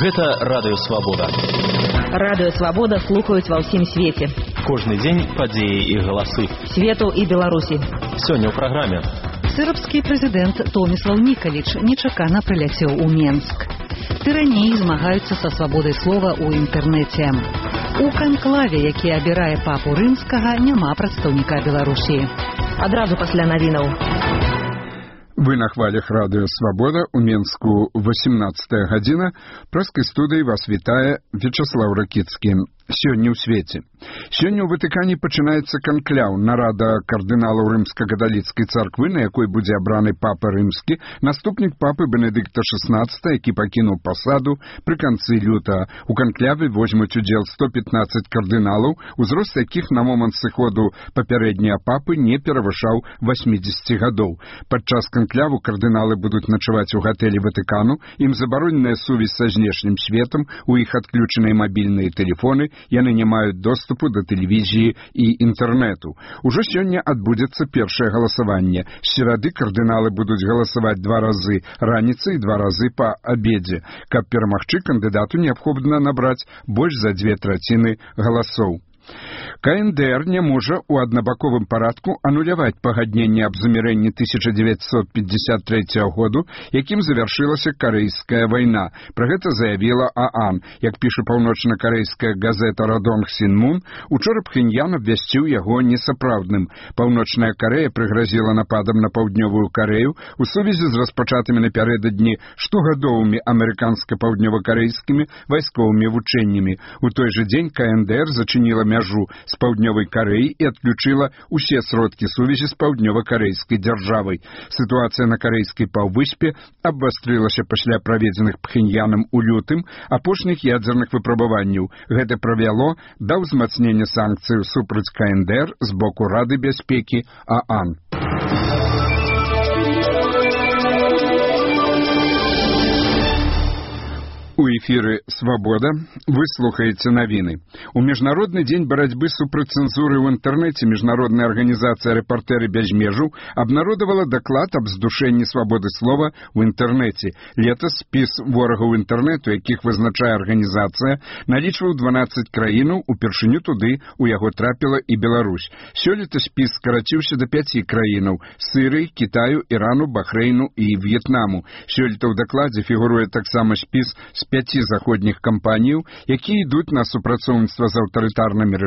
Гэта Радыё Свабода. Радыё Свабода слухаюць ва ўсім свеце. Кожны дзень падзеі і галасы. Свету і Беларусі. Сёння ў праграме. Сырбскі прэзідэнт Томіслаў Нікаліч нечакана прыляцеў у Менск. Тыраніі змагаюцца са свабодай слова ў інтэрнэце. У канклаве, які абірае папу рымскага, няма прадстаўніка Беларусі. Адразу пасля навінаў. Вы на хвалях Радыё Свабода, у Менску 18 гадзіна. Праскай студыі вас вітае Вячаслаў Ракіцкі. Сёння ў свеце. Сёння ў Ватыкане пачынаецца канкляў, нарада кардыналаў рымска-каталіцкай царквы, на якой будзе абраны папа рымскі, наступнік папы Бенедыкта XVI, які пакінуў пасаду пры канцы лютага. У канкляве возьмуць удзел 115 кардыналаў, узрост якіх на момант сыходу папярэднія папы не перавышаў 80 гадоў. Падчас канкляву кардыналы будуць начаваць у гатэлі Ватыкану, ім забароненая сувязь са знешнім светам, у іх адключаныя мабільныя тэлефоны, яны не маюць доступу да тэлевізіі і інтэрнэту. Ужо сёння адбудзецца першае галасаванне. З серады кардыналы будуць галасаваць 2 разы раніцай і 2 разы па абедзе. Каб перамагчы, кандыдату неабходна набраць больш за 2/3 галасоў. КНДР не можа ў аднабаковым парадку ануляваць пагадненне аб замірэнні 1953 году, якім завяршылася Карэйская вайна. Пра гэта заявіла ААН. Як піша паўночна-карэйская газета «Радонг Сінмун», учора Пхеньян абвясціў яго несапраўдным. Паўночная Карэя прыгразіла нападам на паўднёвую Карэю у сувязі з распачатымі напярэдадні штогадовымі амерыканска-паўднёва-карэйскімі вайсковымі вучэннямі. У той жа дзень КНДР зачыніла мяжу з паўднёвай Карэі і адключыла ўсе сродкі сувязі з паўднёва-карэйскай дзяржавай. Сітуацыя на карэйскай паўвыспе абвастрылася пасля праведзеных Пхеньянам у лютым апошніх ядзерных выпрабаванняў. Гэта прывяло да ўзмацнення санкцыяў супраць КНДР з боку Рады бяспекі ААН. У эфіры «Свабода» вы слухаеце навіны. У Міжнародны дзень барацьбы супраць цэнзуры ў інтэрнэце міжнародная арганізацыя «Рэпартэры без межаў» абнародавала даклад аб здушэнні свабоды слова ў інтэрнэце. Летась спіс ворагаў інтэрнэту, якіх вызначае арганізацыя, налічваў 12 краінаў, упершыню туды у яго трапіла і Беларусь. Сёлета спіс скараціўся да 5 краінаў – Сырыі, Кітаю, Ірану, Бахрэйну і В'етнаму. Сёлета ў дакладзе фігуруе таксама спіс з 5 заходніх кампаніяў, якія ідуць на супрацоўніцтва з аўтарытарнымі рэжымамі